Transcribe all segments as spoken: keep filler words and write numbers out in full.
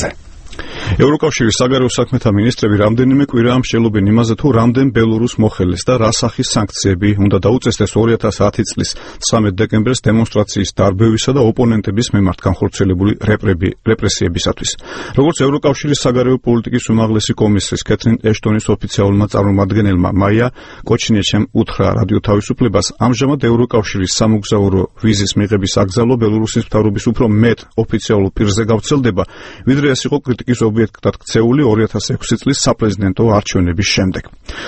აბაზაძე. ევროკავშირის საგარეო საქმეთა მინისტრები რამდენიმე კვირაა მსჯელობენ იმაზე, თუ რამდენ ბელორუს მოხელეს და რა სახის სანქციები უნდა დაუწესდეს ორი ათას ათი წლის ცხრამეტ დეკემბერს დემონსტრაციის დარბევისა და ოპონენტების მიმართ განხორციელებული რეპრესიებისათვის. როგორც ევროკავშირის საგარეო პოლიტიკის უმაღლესი კომისრის კეთრინ ეშტონის ოფიციალურმა წარმომადგენელმა მაია კოჩნიეჩემ უთხრა რადიო თავისუფლებას, ამჟამად ევროკავშირის სამოგზაურო ვიზის მიღების აკრძალვა ბელორუსის მთავრობის უფრო მეტ ოფიციალურ პირზე გავრცელდება, ვიდრე ეს იყო კრიტიკის ობიექტად ქცეული ორი ათას ექვსი წლის საპრეზიდენტო არჩევნების შემდეგ.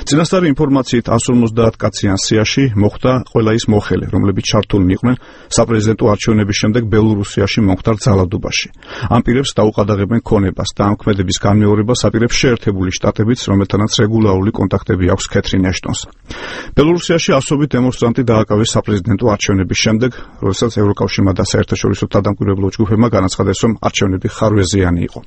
წინასწარი ინფორმაციით εκατს ორმოცდაათ კაციან სიაში მოხვდა ყველა ის მოხელე, რომლებიც ჩართულნი იყვნენ საპრეზიდენტო არჩევნების შემდეგ ბელორუსიაში მომხდარ ძალადობაში. ამ პირებს დაუყადაღებენ ქონებას და ამ ქმედების განმეორებას აპირებს შეერთებული შტატებიც, რომელთანაც რეგულარული კონტაქტები აქვს კეთრინ ეშტონს. ბელორუსიაში ასობით დემონსტრანტი დააკავეს საპრეზიდენტო არჩევნების შემდეგ, როდესაც ევროკავშირმა და საერთაშორისო თანამკვირვებლო ჯგუფებმა განაცხადეს, რომ არჩევნები ხარვეზიანი იყო.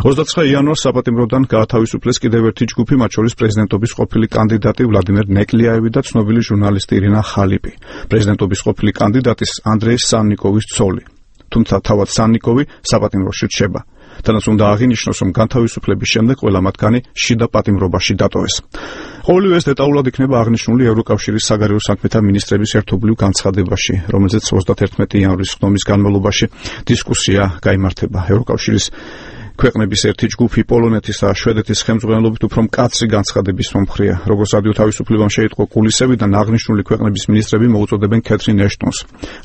ოცდაცხრე იანვარს საპატიმროდან გაათავისუფლეს კიდევ ერთი ჯგუფი, მათ შორის პრეზიდენტობის ყოფილი კანდიდატი ვლადიმერ ნეკლიაევი და ცნობილი ჟურნალისტი ირინა ხალიპი. პრეზიდენტობის ყოფილი კანდიდატის ანდრეი სანნიკოვის ცოლი. თუმცა თავად სანნიკოვი საპატიმროში რჩება. თანაც უნდა აღინიშნოს, რომ განთავისუფლების შემდეგ ყველა მათგანი შიდა პატიმრობაში დატოვეს. ყოველივე ეს დეტალურად იქნება აღნიშნული ევროკავშირის საგარეო საქმეთა მინისტრების ერთობლივ განცხადებაში, რომელზეც ოცდაათერთმეტი იანვრის ხდომის განმავლობაში დისკუსია გაიმართება. ევროკავშირის ქვეყნების ერთი ჯგუფი პოლონეთის და შვედეთის ხელმძღვანელობით უფრო მკაცრი განცხადების მომხრეა. როგორც რადიო თავისუფლებამ შეიტყო კულისებიდან, აღნიშნული ქვეყნების მინისტრები მოუწოდებენ კეთრინ ეშტონს,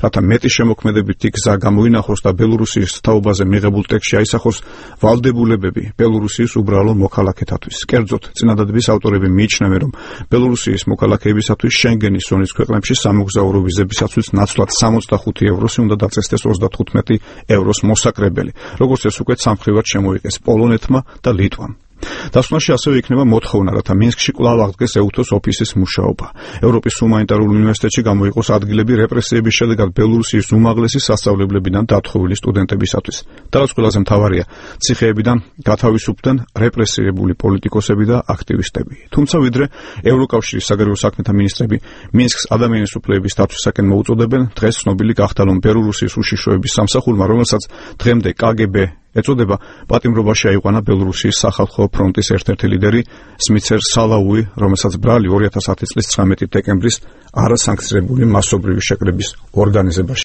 რათა მეტი შემოქმედებითი გზა გამოინახოს და ბელორუსის თაობაზე მიღებულ ტექსტში აისახოს ვალდებულებები ბელორუსის უბრალო მოქალაქეთათვის. კერძოდ, წინადადების ავტორები მიიჩნევენ, რომ ბელორუსის მოქალაქეებისათვის შენგენის ზონის ქვეყნებში სამოგზაურო ვიზებისათვის ნაცვლად სამოცდახუთი ევროსი უნდა დაწესდეს ოცდათხუთმეტი ევროს მოსაკრებელი, როგორც ეს უკვე სამხრივად მოიყეს პოლონეთმა და ლიტვამ. დასკვნაში ასევე იქნება მოთხოვნა, რათა მინსკში კვლავ აღდგეს ეუთოს ოფისის მუშაობა. ევროპის ჰუმანიტარულ უნივერსიტეტში გამოიყოს ადგილები რეპრესიების შედეგად ბელორუსიის უმაღლესი სასწავლებლებიდან დათხოვილი სტუდენტებისათვის. და რაც ყველაზე მთავარია, ციხეებიდან გათავისუფლდნენ რეპრესირებული პოლიტიკოსები და აქტივისტები. თუმცა ვიდრე ევროკავშირის საგარეო საქმეთა მინისტრები მინსკს ადამიანის უფლებების დაცვისაკენ მოუწოდებენ, დღეს ცნობილი გახდა, რომ ბელორუსის უშიშროების სამსახურმა, რომელსაც დღემდე კაგები ეწოდება, პატიმრობაში აიყვანა ბელორუსიის სახალხო ფრონტის ერთ-ერთი ლიდერი სმიცერ სალაუი, რომელსაც ბრალი ორი ათას ათი წლის ცხრამეტი დეკემბრის არასანქციონირებული მასობრივი შეკრების ორგანიზებაში